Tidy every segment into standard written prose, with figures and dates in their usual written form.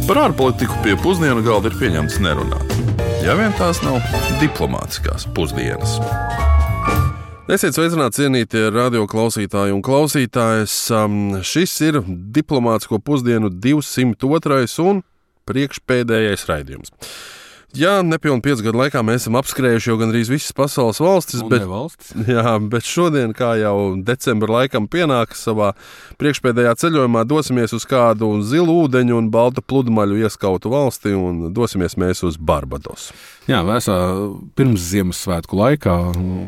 Par ārpolitiku pie pusdienu galda ir pieņemts nerunāt. Ja vien tās nav diplomātiskās pusdienas. Esiet sveicināti, cienītie radio klausītāji un klausītājas. Šis ir diplomātisko pusdienu 202. un priekšpēdējais raidījums. Jā, nepilni 5 gadu laikā mēs esam apskrējuši jau gandrīz visas pasaules valstis, bet šodien, kā jau decembra laikam pienākas savā priekšpēdējā ceļojumā, dosimies uz kādu zilu ūdeņu un baltu pludmaļu ieskautu valsti un dosimies mēs uz Barbadosu. Jā, vēsā pirms Ziemassvētku laikā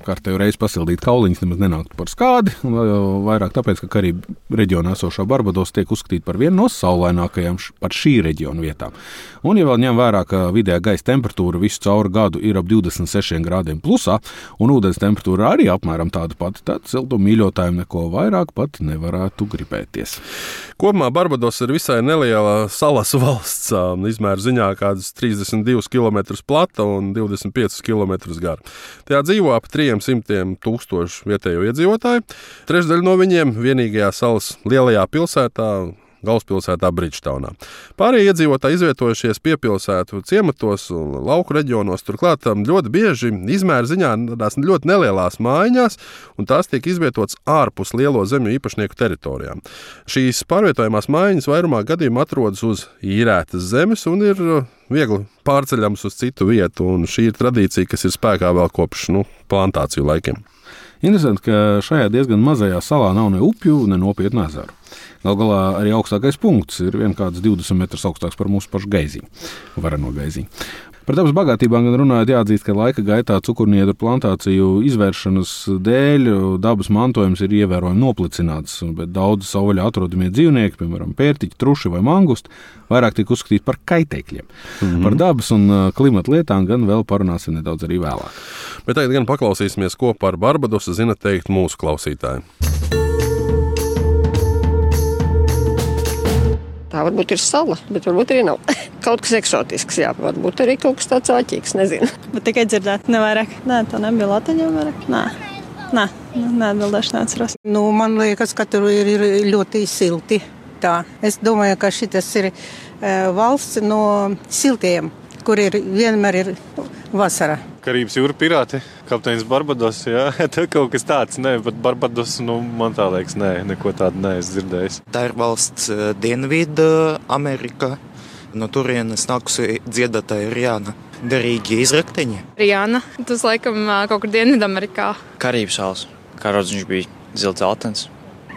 kārtējo reizi pasildīt kauliņus nemaz nenāktu par skādi, vairāk tāpēc, ka Karību reģionā esošā Barbadosa tiek uzskatīta par vienu no saulainākajām par šī reģiona vietām. Un, ja vēl ņem vērā, ka vidējā gaisa temperatūra visu cauru gadu ir ap 26 grādiem plusā, un ūdens temperatūra arī apmēram tāda pati, tad siltumu mīļotājiem neko vairāk pat nevarētu gribēties. Kopumā Barbadosa ir visai neliela salas valsts, izmēra ziņā kādas 32 km plata un 25 km gara. Tajā dzīvo ap 300,000 vietējo iedzīvotāju. Trešdaļa no viņiem vienīgajā salas lielajā pilsētā, galvaspilsētā Bridžtaunā. Pārējie iedzīvotāji izvietojušies piepilsētu ciematos un lauku reģionos, turklāt ļoti bieži izmēra ziņā tādās ļoti nelielās mājiņās, un tās tiek izvietotas ārpus lielo zemju īpašnieku teritorijām. Šīs pārvietojamās mājiņas vairumā gadījumā atrodas uz īrētas zemes un ir viegli pārceļams uz citu vietu, un šī ir tradīcija, kas ir spēkā vēl kopš plantāciju laikiem. Interesanti, ka šajā diezgan mazajā salā nav ne upju, ne nopietnu ezeru. Galu galā arī augstākais punkts ir vienkārši 20 metrus augstāks par mūsu pašu Gaiziņu, vareno Gaiziņu. Par dabas bagātībām gan runājot, jāatzīst, ka laika gaitā cukurniedru plantāciju izvēršanas dēļ dabas mantojums ir ievērojami noplicināts, bet daudzi savvaļā atrodamie dzīvnieki, piemēram, pērtiķi, truši vai mangusti, vairāk tiek uzskatīti par kaitēkļiem. Par dabas un klimata lietām gan vēl parunāsim nedaudz arī vēlāk. Bet tagad gan paklausīsimies, ko par Barbadosu zina teikt mūsu klausītāji. Tā varbūt ir sala, bet varbūt arī nav. Kaut kas eksotisks, jā, varbūt arī kaut kas tāds āķīgs, nezinu. Bet tikai dzirdēt, nevairāk. Nē, tā nebija Latvijā vairāk. Nē, neatbildēšu, neatceros. Man liekas, ka tur ir ļoti silti. Tā. Es domāju, ka šitas ir valsts no siltiem, kur vienmēr ir vasara. Karības jūra pirāti, kapteinis Barbados, jā, tā kaut kas tāds, nē, bet Barbados, man tā liekas, nē, neko tādu neesmu dzirdējis. Tā ir valsts Dienvidu Amerika, no turienes nākusi dziedātāja Rihanna. Derīgi izrakteņi. Rihanna, tas laikam kaut kur Dienvidu Amerikā. Karības salas, kā rodz viņš bija zilts altens.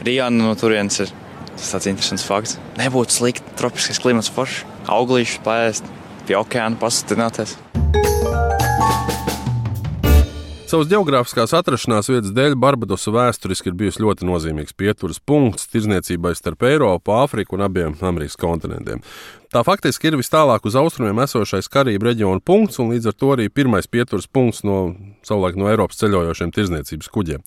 Rihanna no turienes ir tāds interesants fakts. Nebūtu slikti, tropiskais klimats foršs, auglīšus paēst, pie okeāna pasatināties. Savas ģeogrāfiskās atrašanās vietas dēļ Barbadosa vēsturiski ir bijusi ļoti nozīmīgs pieturas punkts tirdzniecībai starp Eiropu, Āfriku un abiem Amerikas kontinentiem. Tā faktiski ir vis tālāk uz austrumiem esošais Karību reģiona punkts un līdz ar to arī pirmais pieturas punkts savulaik no Eiropas ceļojošiem tirdzniecības kuģiem.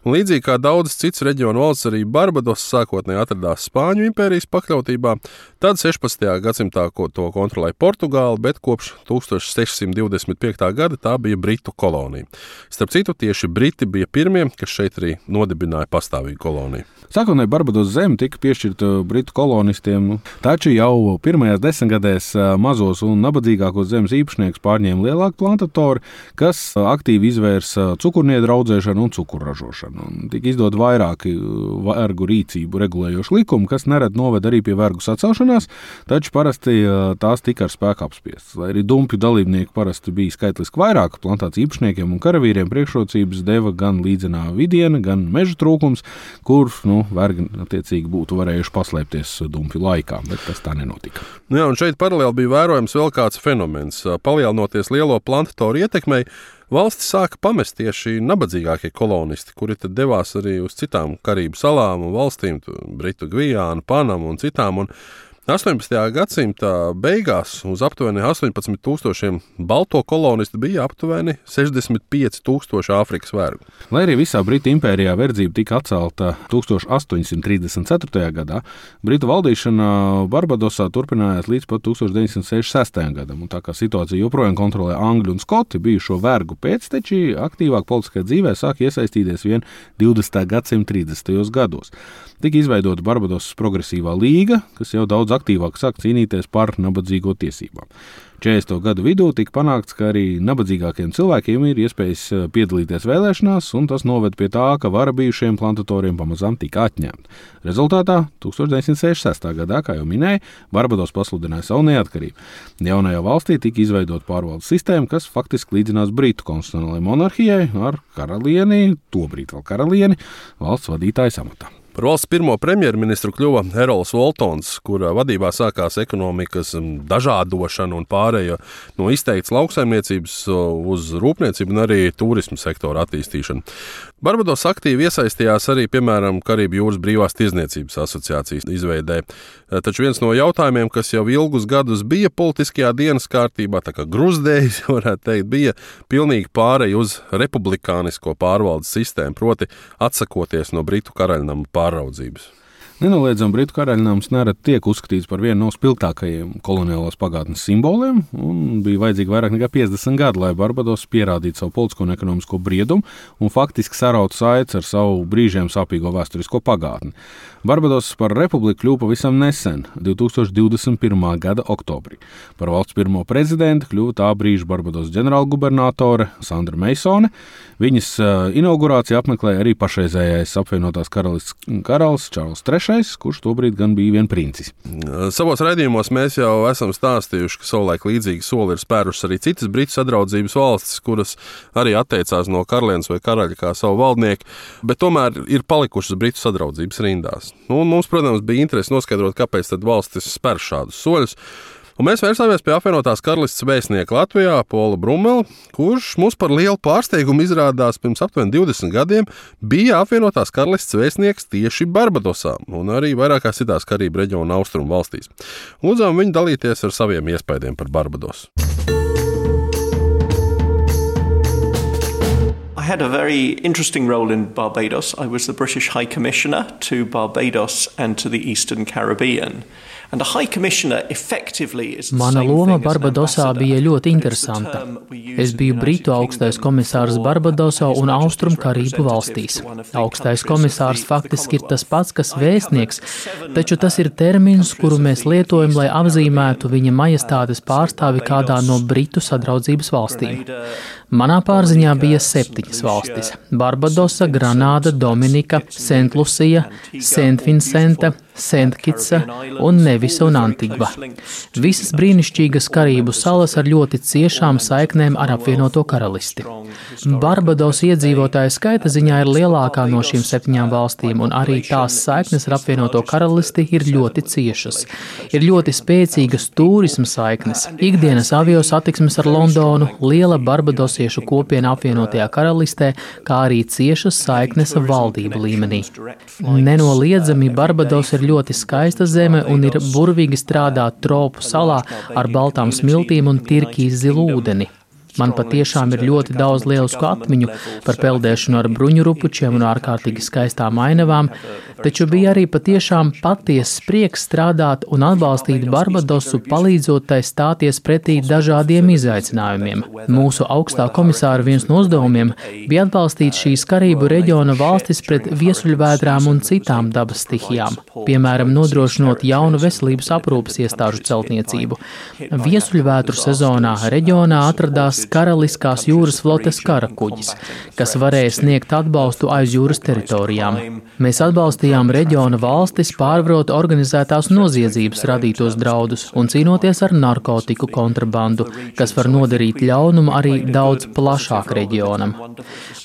Un līdzīgi kā daudzas citas reģionu valsts, arī Barbadosa sākotnēji atradās Spāņu impērijas pakļautībā, tad 16. gadsimtā to kontrolēja Portugāla, bet kopš 1625. gada tā bija Britu kolonija. Starp citu, tieši Briti bija pirmie, kas šeit arī nodibināja pastāvīgu koloniju. Sākotnēji Barbadosa zeme tika piešķirta Britu kolonistiem, taču jau pirmajās desmitgadēs mazos un nabadzīgākos zemes īpašniekus pārņēma lielāki plantatori, kas aktīvi izvērsa cukurniedru audzēšanu un cukurražošanu. Un tika izdot vairāki vergu rīcību regulējoši likumi, kas nereti noved arī pie vergu sacelšanās, taču parasti tās tika ar spēku apspiestas. Lai arī dumpju dalībnieku parasti bija skaitliski vairāk, plantāciju īpašniekiem un karavīriem priekšrocības deva gan līdzenā vidiena, gan meža trūkums, kur vergi attiecīgi būtu varējuši paslēpties dumpju laikā, bet tas tā nenotika. Jā, un šeit paralēli bija vērojams vēl kāds fenomens. Palielinoties lielo plantatoru ietekmei, valsti sāka pamest tieši nabadzīgākie kolonisti, kuri tad devās arī uz citām Karību salām un valstīm, Britu Gvijānu, Panamu un citām, un 18. gadsimta beigās uz aptuveni 18,000 balto kolonistu bija aptuveni 65,000 Āfrikas vergu. Lai arī visā Britu impērijā verdzība tika atcelta 1834. gadā, Britu valdīšana Barbadosā turpinājās līdz pat 1966. gadam, un tā kā situācija joprojām kontrolē Angļi un Skoti, bijušo vergu pēcteči aktīvāk politiskajā dzīvē sāk iesaistīties vien 20. gadsimta 30. gados. Tika izveidota Barbadosas progresīvā līga, kas jau daudz aktīvāk sāk cīnīties par nabadzīgo tiesībām. 40. gadu vidū tika panākts, ka arī nabadzīgākiem cilvēkiem ir iespējas piedalīties vēlēšanās, un tas noved pie tā, ka vara bijušiem plantatoriem pamazām tika atņemta. Rezultātā 1966. gadā, kā jau minēju, Barbados pasludināja savu neatkarību. Jaunajā valstī tika izveidota pārvaldes sistēma, kas faktiski līdzinās Britu konstitucionālajai monarhijai ar karalieni, tobrīd vēl karalieni, valsts vadītājas amatā. Par valsts pirmo premjerministru kļuva Errols Voltons, kura vadībā sākās ekonomikas dažādošana un pārēja no izteikts lauksaimniecības uz rūpniecību un arī turismu sektoru attīstīšanu. Barbados aktīvi iesaistījās arī, piemēram, Karību jūras brīvās tirdzniecības asociācijas izveidē. Taču viens no jautājumiem, kas jau ilgus gadus bija politiskajā dienas kārtībā, tā kā gruzdējis, varētu teikt, bija pilnīgi pārēja uz republikānisko pārvaldes sistēmu, proti atsakoties no Britu karaļnama pāraudzības. Nenoliedzami Britu karaļnams nerad tiek uzskatīts par vienu no spilgtākajiem koloniālās pagātnes simboliem, un bija vajadzīgi vairāk nekā 50 gadi, lai Barbados pierādītu savu politisko un ekonomisko briedumu un faktiski sarautu saites ar savu brīžiem sāpīgo vēsturisko pagātni. Barbados par republiku kļuva pavisam nesen, 2021. gada oktobrī. Par valsts pirmo prezidentu kļuva tā brīža Barbados ģenerālgubernatore Sandra Meisone. Viņas inaugurāciju apmeklēja arī pašreizējais apvienotās karalists karalis Čārls III, kurš tobrīd gan bija vien princis. Savos raidījumos mēs jau esam stāstījuši, ka savulaik līdzīgi soli ir spērušas arī citas Britu sadraudzības valstis, kuras arī atteicās no karalienes vai karaļa kā savu valdnieku, bet tomēr ir palikušas Britu sadraudzības rindās. Un mums, protams, bija interesi noskaidrot, kāpēc tad valstis spēr šādus soļus. Un mēs vērsāmies pie apvienotās karalistes vēstnieka Latvijā, Pola Brumela, kurš mums par lielu pārsteigumu izrādās pirms aptuveni 20 gadiem bija apvienotās karalistes vēstnieks tieši Barbadosā un arī vairākās citās Karību reģiona austrumu valstīs. Lūdzām viņu dalīties ar saviem iespaidiem par Barbadosu. I had a very interesting role in Barbados. I was the British High Commissioner to Barbados and to the Eastern Caribbean. Mana loma Barbadosā bija ļoti interesanta. Es biju Britu augstais komisārs Barbadosā un Austrum Karību valstīs. Augstais komisārs faktiski ir tas pats, kas vēstnieks, taču tas ir termins, kuru mēs lietojam, lai apzīmētu viņa majestātes pārstāvi kādā no Britu sadraudzības valstīm. Manā pārziņā bija 7 valstis – Barbadosa, Granāda, Dominika, Sent-Lucija, Sent-Vincenta, Sent-Kitsa un Nevisa un Antigva. Visas brīnišķīgas Karību salas ar ļoti ciešām saiknēm ar apvienoto karalisti. Barbados iedzīvotāju skaita ziņā ir lielākā no šīm 7 valstīm, un arī tās saiknes ar apvienoto karalisti ir ļoti ciešas. Ir ļoti spēcīgas turisma saiknes, ikdienas avio satiksmes ar Londonu, liela barbadosiešu kopiena apvienotajā karalistē, kā arī ciešas saiknes valdību līmenī. Nenoliedzami Barbados ir ļoti skaista zeme un ir burvīgi strādāt tropu salā ar baltām smiltīm un tirkīs zilu ūdeni. Man patiešām ir ļoti daudz lielisku atmiņu par peldēšanu ar bruņurupučiem un ārkārtīgi skaistām ainavām, taču bija arī patiešām patiesas prieks strādāt un atbalstīt Barbadosu, palīdzot tai stāties pretī dažādiem izaicinājumiem. Mūsu augstā komisāra viens no uzdevumiem bija atbalstīt šīs Karību reģiona valstis pret viesuļvētrām un citām dabas stihijām, piemēram, nodrošinot jaunu veselības aprūpes iestāžu celtniecību. Viesuļvētru sezonā reģionā atradās Karaliskās jūras flotes karakuģis, kas varēja sniegt atbalstu aiz jūras teritorijām. Mēs atbalstījām reģiona valstis pārvarot organizētās noziedzības radītos draudus un cīnoties ar narkotiku kontrabandu, kas var nodarīt ļaunumu arī daudz plašāk reģionam.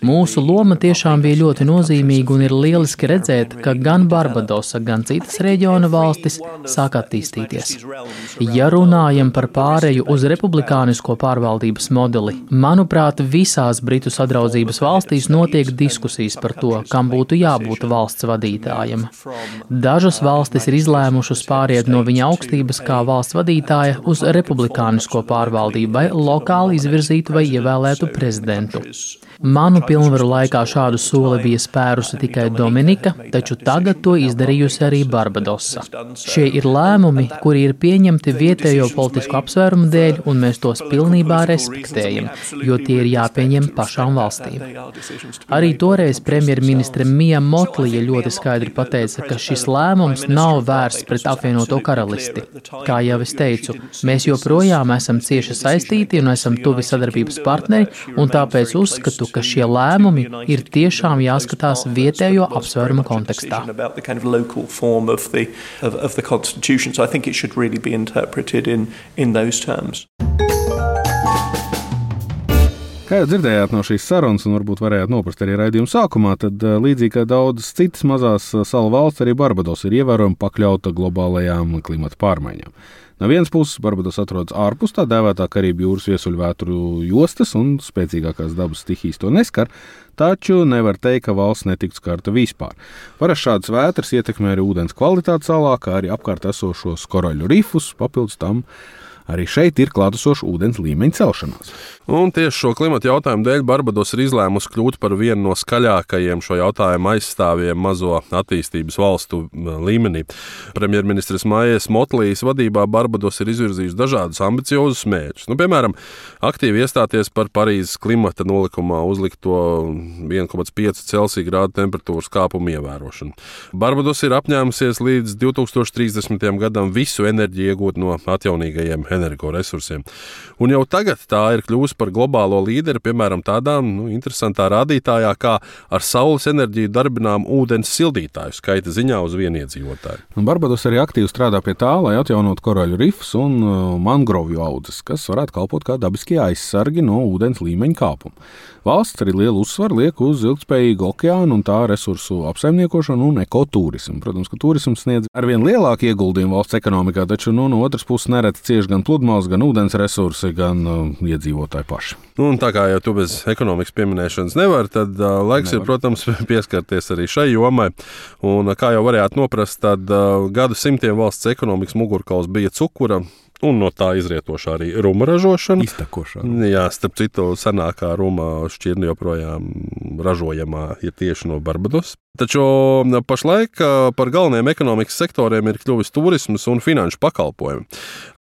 Mūsu loma tiešām bija ļoti nozīmīga un ir lieliski redzēt, ka gan Barbadosa, gan citas reģiona valstis sāk attīstīties. Ja runājam par pāreju uz republikānisko pārvaldības modeli, manuprāt, visās Britu sadraudzības valstīs notiek diskusijas par to, kam būtu jābūt valsts vadītājam. Dažas valstis ir izlēmušas pāriet no viņa augstības kā valsts vadītāja uz republikānisko pārvaldību vai lokāli izvirzītu vai ievēlētu prezidentu. Manu pilnvaru laikā šādu soli bija spērusi tikai Dominika, taču tagad to izdarījusi arī Barbadosa. Šie ir lēmumi, kuri ir pieņemti vietējo politisku apsvērumu dēļ, un mēs tos pilnībā respektējam. neakceptējami, jo tie ir jāpieņem pašām valstīm. Arī toreiz premjerministre Mija Motlija ļoti skaidri pateica, ka šis lēmums nav vērsts pret apvienoto karalisti. Kā jau es teicu, mēs joprojām esam cieši saistīti un esam tuvi sadarbības partneri, un tāpēc uzskatu, ka šie lēmumi ir tiešām jāskatās vietējo apsvērumu kontekstā. So I think it should really be interpreted in those terms. Kā jau dzirdējāt no šīs sarunas, un varbūt varējāt noprast arī raidījuma sākumā, tad līdzīgi kā daudzas citas mazās salu valsts, arī Barbados ir ievērojami pakļauta globālajām klimata pārmaiņām. No vienas puses, Barbados atrodas ārpus tā dēvētā Karību jūras viesuļvētru jostas, un spēcīgākās dabas stihijas to neskar, taču nevar teikt, ka valsts netiktu skarta vispār. Parasti šādas vētras ietekmē arī ūdens kvalitāti salā, kā arī apkārt esošos koraļu rifus, papildus tam arī šeit ir klātesoša ūdens līmeņa celšanās. Un tieši šo klimata jautājumu dēļ Barbados ir izlēmusi kļūt par vienu no skaļākajiem šo jautājumu aizstāvjiem mazo attīstības valstu līmenī. Premjerministres Maijas Motlijas vadībā Barbados ir izvirzījusi dažādus ambiciozus mērķus. Piemēram, aktīvi iestāties par Parīzes klimata nolikumā uzlikto 1,5 Celsija grādu temperatūras kāpumu ievērošanu. Barbados ir apņēmusies līdz 2030. gadam visu enerģiju iegūt no atjaunīgajiem energoresursiem. Un jau tagad tā ir kļuvusi par globālo līderi, piemēram, tādā interesantā rādītājā, kā ar saules enerģiju darbinām ūdens sildītāju skaita ziņā uz vienu iedzīvotāju. Barbados arī aktīvi strādā pie tā, lai atjaunotu koraļu rifus un mangrovju audzes, kas varētu kalpot kā dabiskie aizsargi no ūdens līmeņa kāpuma. Valsts arī lielu uzsvaru liek uz ilgspējīgu okeānu un tā resursu apsaimniekošanu un ekoturismu. Protams, ka turisms sniedz arvien lielāku ieguldījumu valsts ekonomikā, taču no otras puses nereti cieš gan pludmales, gan ūdens resursi, gan iedzīvotāji paši. Un tā kā jau tu bez ekonomikas pieminēšanas nevar, tad laiks ir, protams, pieskarties arī šai jomai. Un kā jau varējāt noprast, tad gadu simtiem valsts ekonomikas mugurkauls bija cukura, un no tā izrietošā arī ruma ražošana. Iztekošā. Jā, starp citu, senākā ruma šķirne joprojām ražojamā ir tieši no Barbados. Taču pašlaik par galvenajiem ekonomikas sektoriem ir kļuvis turisms un finanšu pakalpojumi.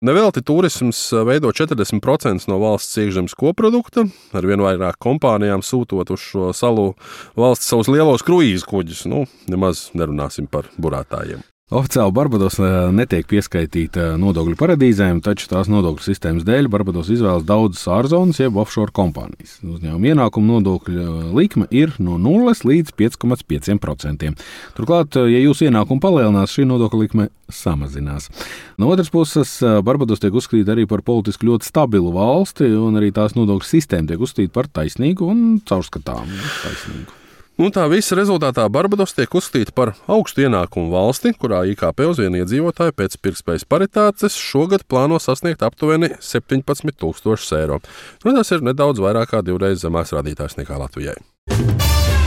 Nevelti turisms veido 40% no valsts iekšzemes koprodukta, ar vien vairāk kompānijām sūtot uz šo salu valsts savus lielos kruīzu kuģus. Nemaz nerunāsim par burātājiem. Oficiāli Barbados netiek pieskaitīta nodokļu paradīzēm, taču tās nodokļu sistēmas dēļ Barbados izvēlas daudzas ārzonas jeb offshore kompānijas. Uzņēmuma ienākuma nodokļa likme ir no 0 līdz 5,5%. Turklāt, ja jūsu ienākumi palielinās, šī nodokļa likme samazinās. No otras puses, Barbados tiek uzskatīta arī par politiski ļoti stabilu valsti, un arī tās nodokļu sistēma tiek uzskatīta par taisnīgu un caurskatāmu taisnīgu. Tā visa rezultātā Barbados tiek uzskatīta par augstu ienākumu valsti, kurā IKP uz vienu iedzīvotāju pēc pirktspējas paritātes šogad plāno sasniegt aptuveni 17,000 eiro. Tas ir nedaudz vairāk kā 2 reizes zemāks rādītājs nekā Latvijai.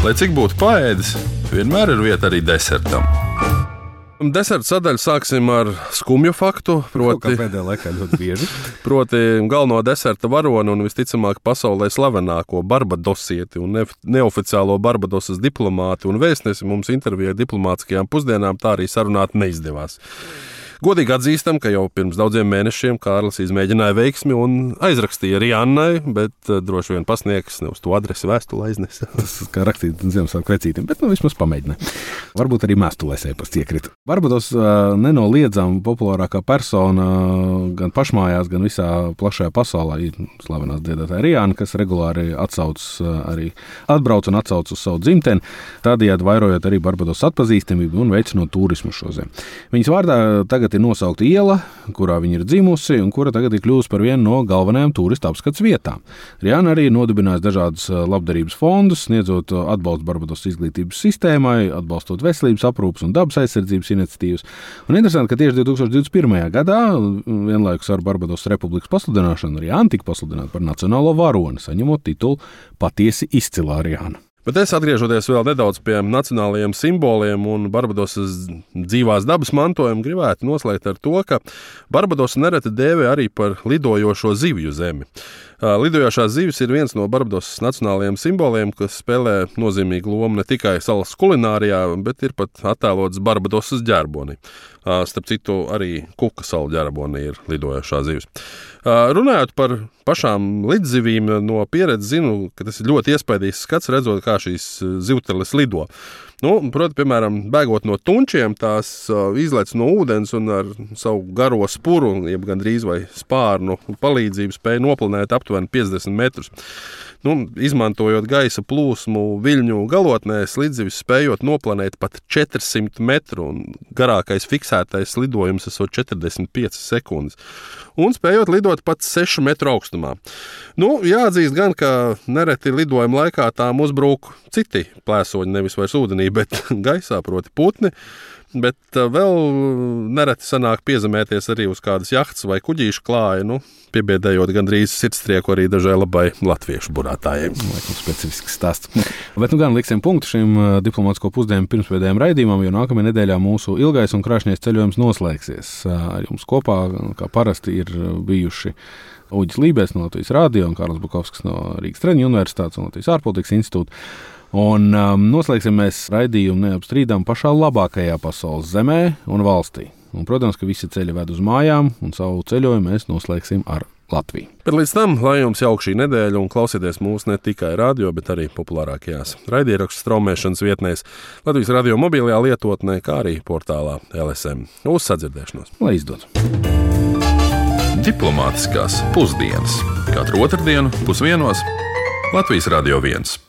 Lai cik būtu paēdis, vienmēr ir vieta arī desertam. Deserta sadaļu sāksim ar skumju faktu, proti galveno deserta varoni un visticamāk pasaulē slavenāko barbadosieti un neoficiālo Barbadosas diplomāti un vēstnesi mums intervijā diplomātiskajām pusdienām tā arī sarunāt neizdevās. Godīgi atzīstam, ka jau pirms daudziem mēnešiem Kārlis izmēģināja veiksmi un aizrakstīja Riannai, bet droši vien pasniegs ne uz to adresi vēstuli aiznesa. Tas kā rakstīt Ziemassvētku vecītim, bet vismaz pamēģināja. Varbūt arī mēstulēs ēpasts iekrita. Barbados nenoliedzami populārākā persona gan pašmājās, gan visā plašajā pasaulē ir slavenās dziedātāja Rianna, kas regulāri atbrauc un atsauc uz savu dzimteni, tādējādi vairojot arī Barbados atpazīstamību un veicinot turismu šo zemi. Viņas vārdā tagad ir nosaukta iela, kurā viņa ir dzimusi un kura tagad ir kļuvusi par vienu no galvenajām turistu apskats vietām. Rianna arī nodibinājusi dažādas labdarības fondus, sniedzot atbalstu Barbados izglītības sistēmai, atbalstot veselības aprūpes un dabas aizsardzības iniciatīvas. Un interesanti, ka tieši 2021. gadā, vienlaikus ar Barbados republikas pasludināšanu, Rianna tika pasludināta par nacionālo varoni, saņemot titulu Patiesi izcilā Rianna. Bet es atgriežoties vēl nedaudz pie nacionālajiem simboliem un Barbadosas dzīvās dabas mantojumu, gribētu noslēgt ar to, ka Barbadosa nereti dēvē arī par lidojošo zivju zemi. Lidojošās zivis ir viens no Barbadosas nacionālajiem simboliem, kas spēlē nozīmīgu lomu ne tikai salas kulinārijā, bet ir pat attēlots Barbadosas ģerbonī. Starp citu, arī kuka salu ģerabonī ir lidojošā zivis. Runājot par pašām lidzivīm, no pieredzes zinu, ka tas ir ļoti iespaidīgs skats, redzot, kā šīs zivteles lido. Proti, piemēram, bēgot no tunčiem, tās izlec no ūdens un ar savu garo spuru, jeb gandrīz vai spārnu palīdzību spēja noplanēt aptuveni 50 metrus. Izmantojot gaisa plūsmu viļņu galotnēs, lidzivis spējot noplanēt pat 400 metru un garākais fiksētais lidojums esot 45 sekundes. Un spējot lidot pat 6 metru augstumā. Jāatzīst gan, ka nereti lidojuma laikā tām uzbrūk citi plēsoņi, nevis vairs ūdenī, bet gaisā, proti putni. Bet vēl nereti sanāk piezemēties arī uz kādas jahtas vai kuģīšu klāja, piebiedējot gandrīz sirdstrieku arī dažai labai latviešu burātājiem. Laikam specifisks stāsts. Bet gan liksim punktu šim diplomātsko pusdienu pirmspēdējiem raidījumam, jo nākamajā nedēļā mūsu ilgais un krāšņais ceļojums noslēgsies. Ar jums kopā, kā parasti, ir bijuši Uģis Lībēs no Latvijas radio un Kārlis Bukovskis no Rīgas Traņu universitātes un Latvijas ārpolitikas institūta. Un noslēgsim mēs raidījumu neapstrīdām pašā labākajā pasaules zemē un valstī. Un, protams, ka visi ceļi ved uz mājām, un savu ceļojumu mēs noslēgsim ar Latviju. Bet līdz tam, lai jums jauka šī nedēļa un klausieties mūs ne tikai radio, bet arī populārākajās raidierakstu straumēšanas vietnēs, Latvijas radio mobilajā lietotnē, kā arī portālā LSM. Uz sadzirdēšanos! Lai izdodas! Diplomātiskās pusdienas katru otrdienu 12:00 Latvijas Radio 1.